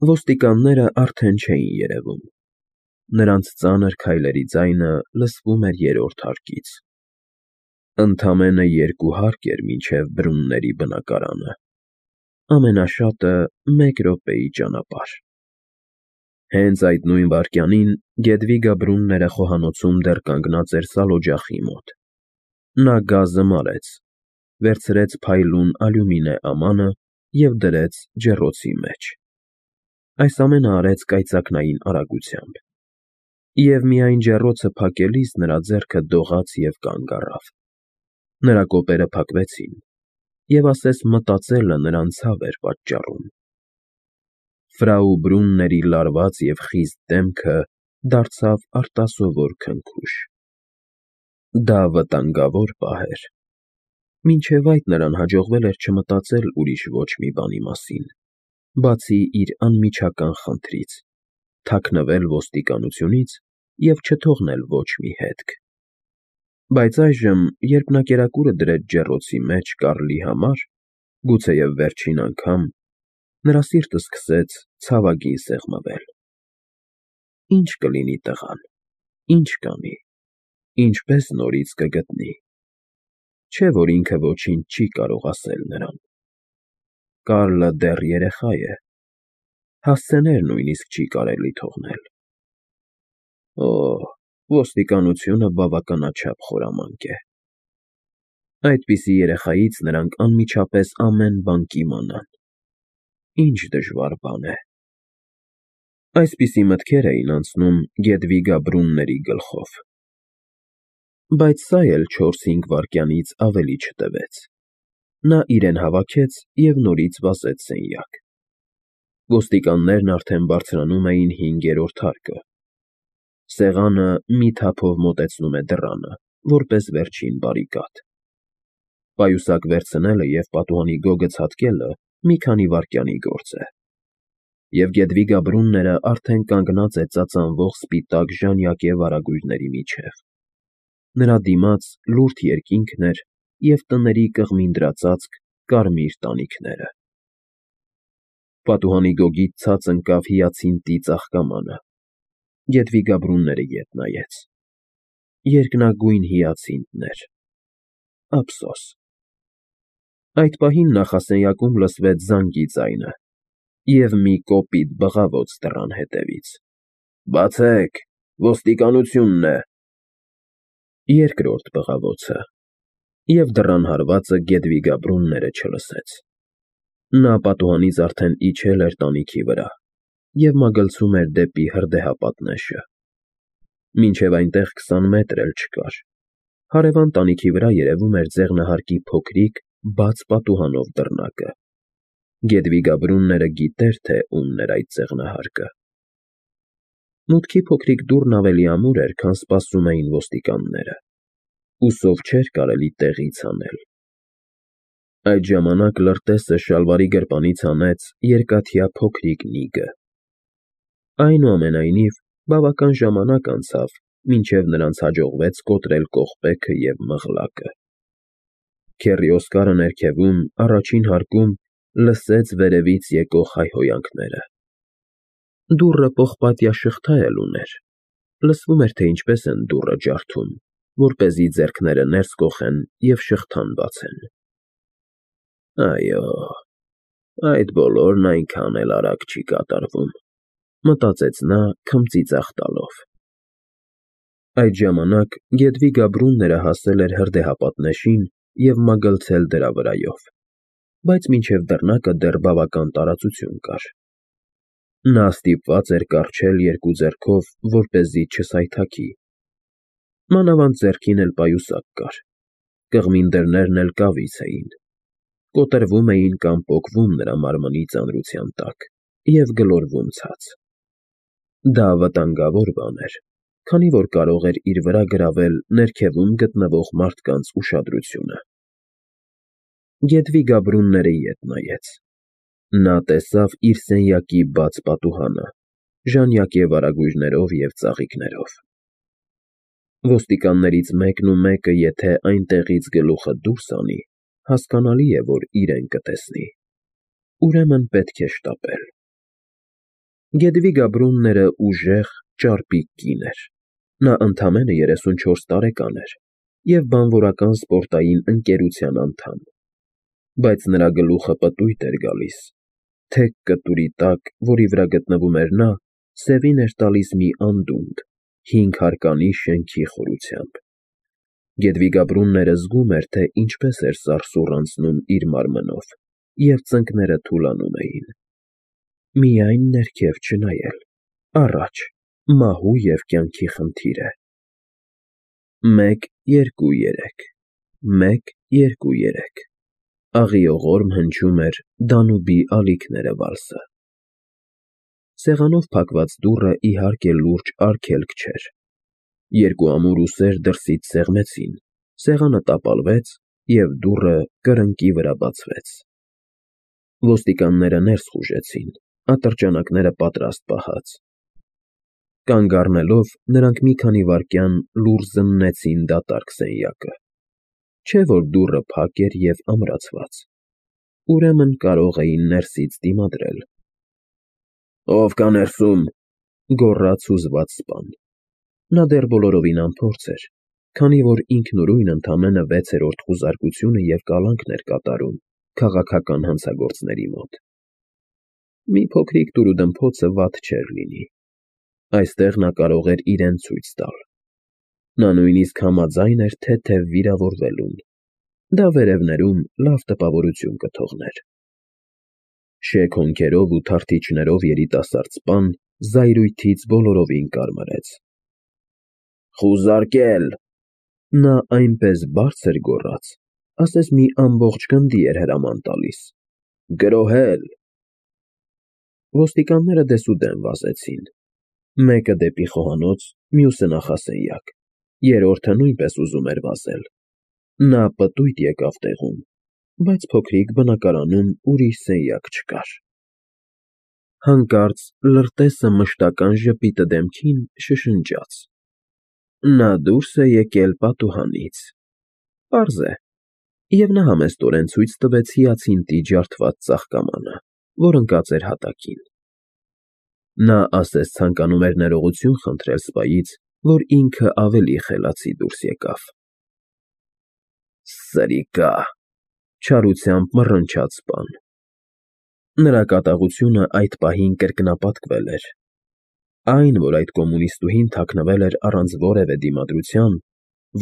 Ոստիկանները արդեն չէին երևում։ Նրանց ծանր քայլերի ձայնը լսվում էր երրորդ հարկից։ Ընդամենը 2 հարկ էր մինչև Բրունների բնակարանը, ամենաշատը 1 րոպեի ճանապարհ։ Հենց այդ նույն վայրկյանին Գեդվիգա Բրունները խոհանոցում դեռ կանգնած էր սալօջախի մոտ։ Նա գազը մարեց, վերցրեց փայլուն ալյումինե ամանը և դրեց ջեռոցի մեջ։ Այս ամենը արեց կայծակնային արագությամբ։ Եվ միայն ջեռոցը փակելիս նրա ձեռքը դողաց և կանգ առավ։ Նրա կոպերը փակվեցին, և ասես մտածելը նրան ցավ էր պատճառում։ Ֆրաու Բրունների լարված և խիստ դեմքը դարձավ արտասովոր քնքուշ։ Դա վտանգավոր պահ էր։ Մինչև այդ նրան հաջողվել էր չմտածել ուրիշ ոչ մի բանի մասին, բացի իր անմիջական խնդրից՝ թաքնվել ոստիկանությունից և չթողնել ոչ մի հետք։ Բայց այժմ, երբ նա կերակուրը դրեց ջեռոցի մեջ Կարլի համար, գուցեև վերջին անգամ, նրա սիրտը սկսեց ցավագին սեղմվել։ Ի՞նչ կլինի տղան, ի՞նչ կանի, ինչպե՞ս նորից կգտնի։ Չէ՞ որ ինքը ոչինչ չի կարող ասել նրան։ Կարլը դեռ երեխա է։ Հասցեներ նույնիսկ չի կարելի թողնել։ Օհ, ոստիկանությունը բավականաչափ խորամանկ է։ Այդպիսի երեխայից նրանք անմիջապես ամեն բան կիմանան։ Ինչ դժվար բան է։ Այսպիսի մտքեր էին անցնում Գեդվիգա Բրունների գլխով։ Բայց սա էլ 4-5 վայրկյանից ավելի չտևեց։ Նա իրեն հավաքեց և նորից վազեց սենյակ։ Ոստիկաններն արդեն բարձրանում էին 5-րդ հարկը։ Սեղանը մի թափով մոտեցնում է դռանը, որպես վերջին բարիկադ։ Պայուսակ վերցնելը և պատուհանի գոգը ցատկելը մի քանի վայրկյանի գործ է։ Եվ Գեդվիգա Բրունները արդեն կանգնած է ծածանվող սպիտակ ժանյակե վարագույրների միջև։ Նրա դիմաց լուրջ երկինքն էր և տների կղմինդրածածկ կարմիր տանիքները։ Պատուհանի գոգից ցած ընկավ հիացինտի ծաղկամանը։ Գեդվիգա Բրունները ետ նայեց։ Երկնագույն հիացինտներ։ Ափսոս։ Այդ պահին նախասենյակում լսվեց զանգի ձայնը և մի կոպիտ բղավոց դռան հետևից։ Բացեք, ոստիկանությունն է։ Երկրորդ բղավոցը։ Եվ դռան հարվածը Գեդվիգա Բրունները չլսեց։ Նա պատուհանից արդեն իջել էր տանիքի վրա և մագլցում էր դեպի հրդեհապատնեշը։ Մինչև այնտեղ 20 մետր էլ չկար։ Հարևան տանիքի վրա երևում էր ձեղնահարկի փոքրիկ, բաց պատուհանով դռնակը։ Գեդվիգա Բրունները գիտեր, թե ումն էր այդ ձեղնահարկը։ Մուտքի փոքրիկ դուռն ավելի ամուր էր, քան սպասում էին ոստիկանները, ու սով չէր կարելի տեղից հանել։ Այդ ժամանակ լրտեսը շալվարի գրպանից հանեց երկաթյա փոքրիկ նիգը։ Այնուամենայնիվ, բավական ժամանակ անցավ, մինչև նրանց հաջողվեց կոտրել կողպեքը և մղլակը։ Քեռի Օսկարը ներքևում, առաջին հարկում, լսեց վերևից եկող հայհոյանքները։ Դուռը պողպատյա շղթա էլ ուներ։ Լսվում էր, թե ինչպես են դուռը ջարդում, որպեսզի ձեռքները ներս կոխեն և շղթան բացեն։ Այո, այդ բոլորն այնքան էլ արագ չի կատարվում, մտածեց նա քմծիծաղ տալով։ Այդ ժամանակ Գեդվիգա Բրունները հասել էր հրդեհապատնեշին և մագլցել դրա վրայով, բայց մինչև դռնակը դեռ բավական տարածություն կար։ Նա ստիպված էր կառչել 2 ձեռքով, որպեսզի չսայթաքի։ Մանավանդ ձեռքին էլ պայուսակ կար։ Կղմին դռներն էլ կավից էին։ Կոտրվում էին կամ պոկվում նրա մարմնի ծանրության տակ և գլորվում ցած։ Դա վտանգավոր բան էր, քանի որ կարող էր իր վրա գրավել ներքևում գտնվող մարդկանց ուշադրությունը։ Գեդվիգա Բրունները ետ նայեց։ Նա տեսավ իր սենյակի բաց պատուհանը, ժանյակե վարագույրներով և ծաղիկներով։ Ոստիկաններից մեկն ու մեկը եթե այնտեղից գլուխը դուրս հանի, հասկանալի է, որ իրեն կտեսնի։ Ուրեմն պետք է շտապել։ Գետվի Գաբրունները ուժեղ, ճարպիկ կին էր։ Նա ընդամենը 34 տարեկան էր և բանվորական սպորտային ընկերության անդամ, բայց նրա գլուխը պտույտ էր գալիս, թեք կտուրի տակ, որի վրա գտնվում էր նա, սևին էր տալիս մի անդունդ, 5 հարկանի շենքի խորությամբ։ Գետվի Գաբրունները զգում էր, թե ինչպես էր սարսուռ անցնում իր մարմնով, և ծնկները թուլանում էին։ Միայն ներքև չնայել, առաջ, մահու և կյանքի խնդիր է։ 1, 2, 3, 1, 2, 3 աղիողորմ հնչում էր Դանուբի ալիքները վալսը։ Սեղանով փակված դուռը իհարկե լուրջ արգելք չէր։ Երկու ամուր ուսեր դրսից սեղմեցին, սեղանը տապալվեց և դուռը կրկնակի վրա բացվեց։ Ոստիկանները ներս խուժեցին, ատրճանակները պատրաստ պահած։ Կանգ առնելով, նրանք մի քանի վայրկյան լուռ զննեցին դատարկ սենյակը, չէ՞ որ դուռը փակ էր և ամրացված, ուրեմն կարող էին ներսից դիմադրել։ «Ո՞վ կա ներսում», գոռաց հուզված սպան։ Նա դեռ բոլորովին անփորձ էր, քանի որ ինքնուրույն ընդամենը 6-րդ խուզարկությունը և կալանքն էր կատարում քաղաքական հանցագործների մոտ։ Մի փոքրիկ դուրուդմփոցը վատ չէր լինի։ Այստեղ նա կարող էր իրեն ցույց տալ։ Նա նույնիսկ համաձայն էր թեթև վիրավորվելուն, դա վերևներում լավ տպավորություն կթողներ։ Շեք հոնքերով ու թարթիչներով երիտասարդ սպան զայրույթից բոլորովին կարմրեց։ «Խուզարկել»։ Նա այնպես բարձր գոռաց, ասես մի ամբողջ գնդի էր հրաման տալիս։ «Գրոհել»։ Ոստիկանները դեսուդեն վազեցին, մեկը դեպի խոհանոց, մյուսը նախասենյակ, երրորդը նույնպես ուզում էր վազել։ Նա պտույտ եկավ տեղում, բայց փոքրիկ բնակարանում ուրիշ սենյակ չկար։ Հանկարծ լրտեսը մշտական ժպիտը դեմքին շշնջաց. նա դուրս է եկել պատուհանից։ Պարզ է։ Եվ նա համեստորեն ցույց տվեց հիացինտի ջարդված ծաղկամանը, որ ընկած էր հատակին։ Նա ասես ցանկանում էր ներողություն խնդրել սպայից, որ ինքը ավելի խելացի դուրս եկավ։ «Սրիկա», չարությամբ մռնչաց սպան։ Նրա կատաղությունը այդ պահին կրկնապատկվել էր։ Այն, որ այդ կոմունիստուհին թաքնվել էր առանց որևէ դիմադրության,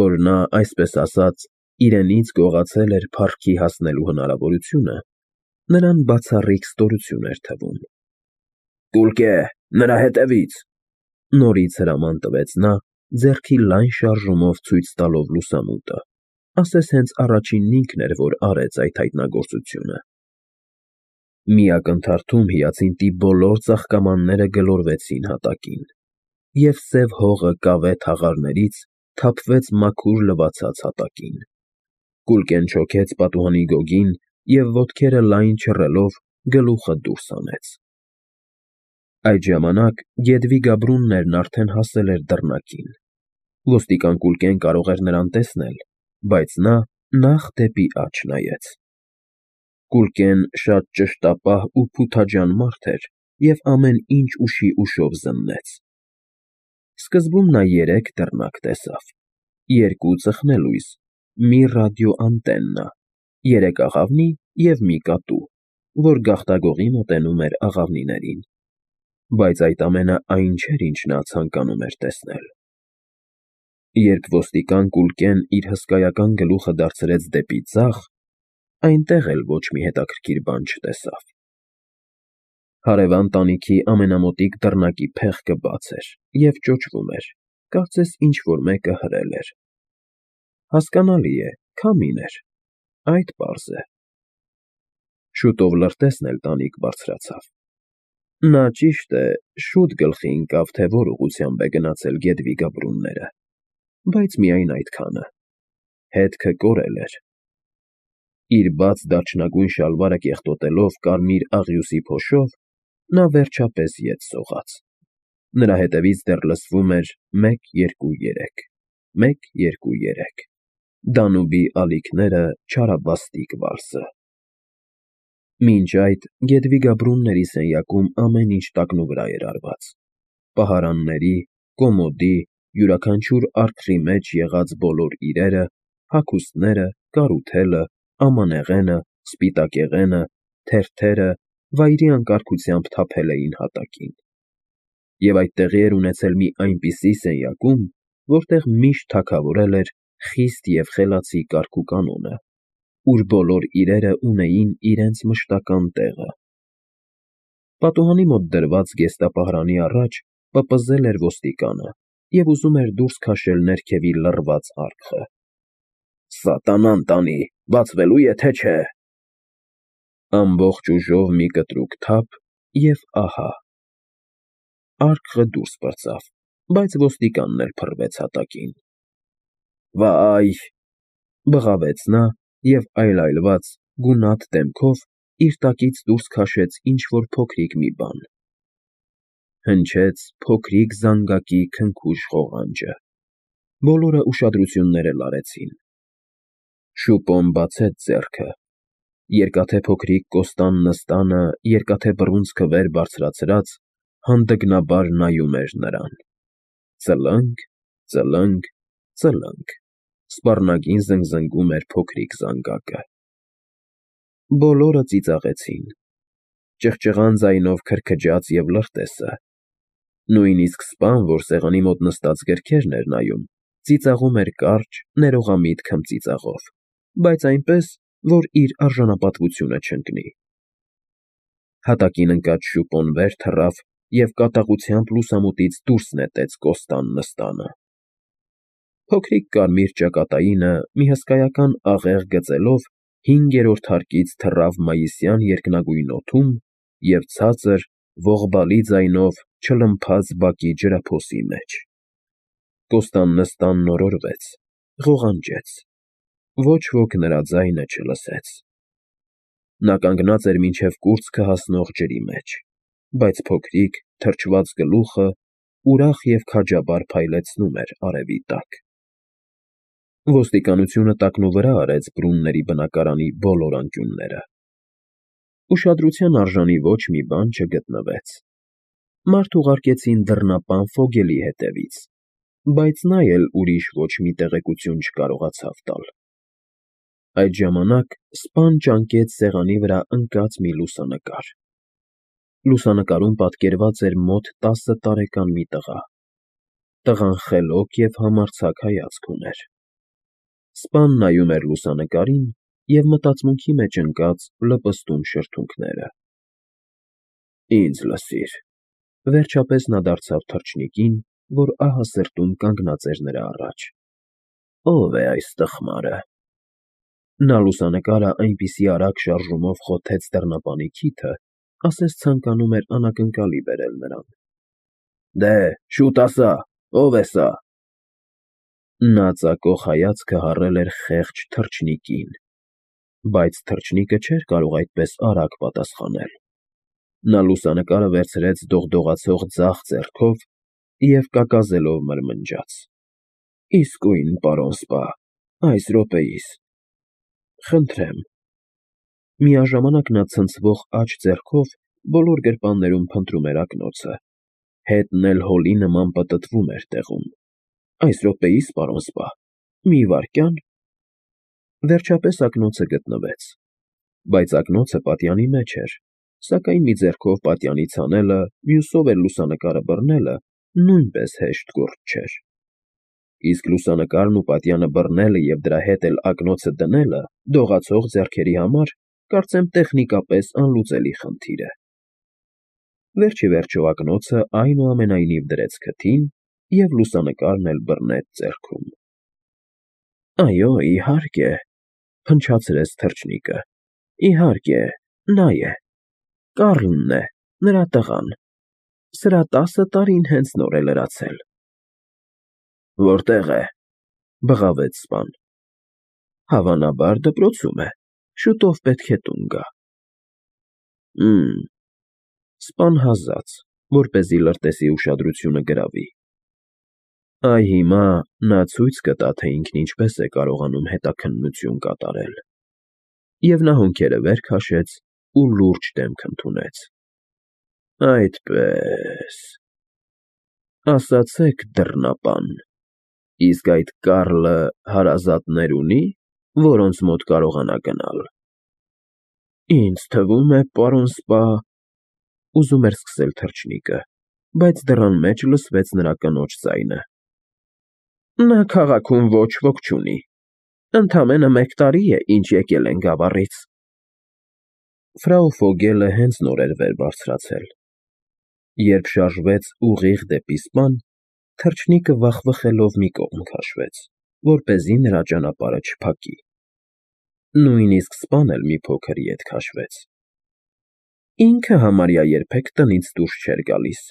որ նա, այսպես ասած, իրենից գողացել էր փառքի հասնելու հնարավորությունը, նրան բացառիկ ստորություն էր թվում։ «Կուլկե, նրա հետևից», նորից հրաման տվեց նա, ձեռքի լայն շարժումով ցույց տալով լուսամուտը, ասես հենց առաջինն ինքն էր, որ արեց այդ հայտնագործությունը։ Մի ակնթարթում հիացինտի բոլոր ծաղկամանները գլորվեցին հատակին, և սև հողը կավե թաղարներից թափվեց մաքուր լվացած հատակին։ Կուլկեն չոքեց պատուհանի գոգին և ոտքերը լայն չռելով գլուխը դուրս հանեց։ Այդ ժամանակ Գետվի Գաբրուններն արդեն հասել էր դռնակին։ Ոստիկան Կուլկեն կարող էր նրան տեսնել, բայց նա նախ դեպի աջ նայեց։ Կուլկեն շատ ճշտապահ ու փութաջան մարդ էր և ամեն ինչ ուշի ուշով զննեց։ Սկզբում նա 3 դռնակ տեսավ, 2 ծխնելույս, մի ռադիոանտեննա, 3 աղավնի և մի կատու, որ գաղտագողի մոտենում էր աղավնիներին, բայց այդ ամենը այն չէր, ինչ նա ցանկանում էր տեսնել։ Երբ ոստիկան Կուլկեն իր հսկայական գլուխը դարձրեց դեպի ձախ, այնտեղ էլ ոչ մի հետաքրքիր բան չտեսավ։ Հարևան տանիքի ամենամոտիկ դռնակի փեղկը բաց էր և ճոճվում էր, կարծես ինչ֊որ մեկը հրել էր։ Հասկանալի է, քամին էր, այդ պարզ է։ Շուտով լրտեսն էլ տանիք բարձրացավ։ Նա, ճիշտ է, շուտ գլխի ընկավ, թե որ ուղղությամբ է գնացել Գետվի Գաբրունները, բայց միայն այդքանը։ Հետքը կորել էր։ Իր բաց դարչնագույն շալվարը կեղտոտելով կարմիր աղյուսի փոշով, նա վերջապես ետ սողաց։ Նրա հետևից դեռ լսվում էր 1, 2, 3, 1, 2, 3 Դանուբի ալիքները չարաբաստիկ վալսը։ Մինչ այդ Գեդվիգա Բրունների սենյակում ամեն ինչ տակնուվրա էր արված. պահարանների, կոմոդի, յուրաքանչյուր արկղի մեջ եղած բոլոր իրերը, հագուստները, կարութելը, ամանեղենը, սպիտակեղենը, թերթերը վայրի անկարգությամբ թափել էին հատակին։ Եվ այդ տեղի էր ունեցել մի այնպիսի սենյակում, որտեղ միշտ թագավորել էր խիստ և խելացի կարգուկանոնը, ուր բոլոր իրերը ունեին իրենց մշտական տեղը։ Պատուհանի մոտ դրված զգեստապահարանի առաջ պպզել էր ոստիկանը և ուզում էր դուրս քաշել ներքևի լռված արկղը։ «Սատանան տանի, բացվելու է, թե չէ»։ Ամբողջ ուժով մի կտրուկ թափ, և ահա… Արկղը դուրս պրծավ, բայց ոստիկանն էլ փռվեց հատակին։ «Վայ…»… բղավեց նա և այլայլված, գունատ դեմքով իր տակից դուրս քաշեց ինչ֊որ փոքրիկ մի բան։ Հնչեց փոքրիկ զանգակի քնքուշ ղողանջը։ Բոլորը ուշադրություններ էլ արեցին։ Շուպոն բացեց ձեռքը։ Երկաթե փոքրիկ կոստան նստանը երկաթե բռունցքը վեր բարձրացրած, հանդգնաբար նայում էր նրան։ Ծլնգ, ծլնգ, ծլնգ… Սպառնագին զնգզնգում էր փոքրիկ զանգակը։ Բոլորը ծիծաղեցին։ Ճղճղան ձայնով քրքջաց և լրտեսը։ Նույնիսկ սպան, որ սեղանի մոտ նստած գրքերն էր նայում, ծիծաղում էր կարճ, ներողամիտ քմծիծաղով, բայց այնպես, որ իր արժանապատվությունը չընկնի։ Հատակին ընկած շուպոն վեր թռավ և կատաղությամբ լուսամուտից դուրս նետեց կոստան նստանը։ Փոքրիկ կարմիր ճակատայինը մի հսկայական աղեղ գծելով 5-րդ հարկից թռավ մայիսյան երկնագույն օդում և ցածր, ողբալի ձայնով չլմփաց բակի ջրափոսի մեջ։ Կոստան նստան նորորվեց, ղողանջեց։ Ոչ ոք նրա ձայնը չլսեց։ Նա կանգնած էր մինչև կուրծքը հասնող ջրի մեջ, բայց փոքրիկ, թրջված գլուխը ուրախ և քաջաբար փայլեցնում էր արևի տակ։ Ոստիկանությունը տակնուվրա արեց Բրունների բնակարանի բոլոր անկյունները։ Ուշադրության արժանի ոչ մի բան չգտնվեց։ Մարդ ուղարկեցին դռնապան Ֆոգելի հետևից, բայց նա էլ ուրիշ ոչ մի տեղեկություն չկարողացավ տալ։ Այդ ժամանակ սպան ճանկեց սեղանի վրա ընկած մի լուսանկար։ Լուսանկարում պատկերված էր մոտ 10 տարեկան մի տղա։ Տղան խելոք և համարձակ հայացք ուներ։ Սպան նայում էր լուսանկարին և մտածմունքի մեջ ընկած լպստում շրթունքները։ «Ինձ լսիր», վերջապես նա դարձավ թռչնիկին, որ ահա սրտում կանգնած էր նրա առաջ։ «Ո՞վ է այս տխմարը»։ Նա լուսանկարը այնպիսի արագ շարժումով խոթեց դռնապանի քիթը, ասես ցանկանում էր անակնկալի բերել նրան։ «Դե, շուտ ասա, ո՞վ է սա»։ Նա ծակող հայացքը հառել էր խեղճ թռչնիկին, բայց թռչնիկը չէր կարող այդպես արագ պատասխանել։ Նա լուսանկարը վերցրեց դողդողացող ձախ ձեռքով և կակազելով մրմնջաց. «Իսկույն, պարոն սպա, այս րոպեիս… Խնդրեմ»։ Միաժամանակ նա ցնցվող աջ ձեռքով բոլոր գրպաններում փնտրում էր ակնոցը, հետն էլ հոլի նման պտտվում էր տեղում։ «Այս րոպեիս, պարոն սպա… Մի վայրկյան»։ Վերջապես ակնոցը գտնվեց, բայց ակնոցը պատյանի մեջ էր, սակայն մի ձեռքով պատյանից հանելը, մյուսով էլ լուսանկարը բռնելը նույնպես հեշտ գործ չէր։ Իսկ լուսանկարն ու պատյանը բռնելը և դրա հետ էլ ակնոցը դնելը դողացող ձեռքերի համար, կարծեմ, տեխնիկապես անլուծելի խնդիր է։ Վերջիվերջո ակնոցը այնուամենայնիվ դրեց քթին և լուսանկարն էլ բռնեց ձեռքում։ «Այո, իհարկե», փնչացրեց թռչնիկը։ «Իհարկե, նա է… Կառլն է, նրա տղան… Սրա 10 տարին հենց նոր է լրացել»։ «Որտե՞ղ է»։ բղավեց սպան։ «Հավանաբար դպրոցում է, շուտով պետք է տուն գա»։ Սպան հազաց, որպեսզի լրտեսի ուշադրությունը գրավի։ Այ հիմա նա ցույց կտա, թե ինքն ինչպես է կարողանում հետաքննություն կատարել։ Եվ նա հոնքերը վեր քաշեց ու լուրջ դեմք ընդունեց. Այդպես, ասացեք, դռնապան, իսկ այդ Կարլը հարազատներ ունի, որոնց մոտ կարողանա գնալ։ Ինձ թվում է, պարոն սպա, ուզում էր սկսել թռչնիկը, բայց դռան մեջ լսվեց նրա կնոջ ձայնը. Նա քաղաքում ոչ ոք չունի, ընդամենը 1 տարի է, ինչ եկել են Գավառից։ Ֆրау Ֆոգելը հենց նոր էր վեր բարձրացել։ Երբ շարժվեց ուղիղ դեպի սպան, թռչնիկը վախվխելով մի կողմ քաշվեց, որպեսզի նրա ճանապարհը չփակի։ Նույնիսկ սպան էլ մի փոքր ետ քաշվեց։ Ինքը համարյա երբեք տնից դուրս չէր գալիս։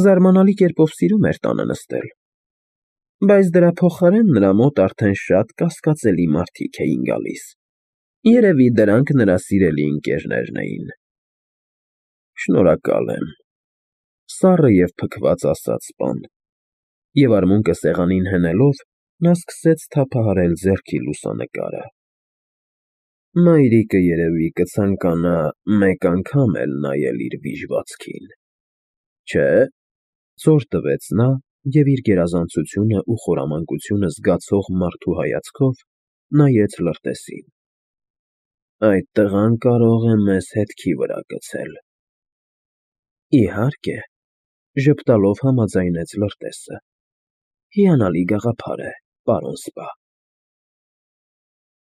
Զարմանալի կերպով սիրում էր տանը նստել։ Բայց դրա փոխարեն նրա մոտ արդեն շատ կասկածելի մարդիկ էին գալիս։ Երևի դրանք նրա սիրելի ընկերներն էին։ Շնորհակալ եմ, սառը և փքված ասաց սպան, և արմունկը սեղանին հենելով, նա սկսեց թափահարել ձեռքի լուսանկարը։ Մայրիկը երևի կցանկանա 1 անգամ էլ նայել իր վիժվածքին։ Չէ՞, զոր տվեց նա և իր գերազանցությունը ու խորամանկությունը զգացող մարդու հայացքով նայեց լրտեսին։ Այդ տղան կարող է մեզ հետքի վրա գցել։ Իհարկե, ժպտալով համաձայնեց լրտեսը։ Հիանալի գաղափար է, պարոն սպա։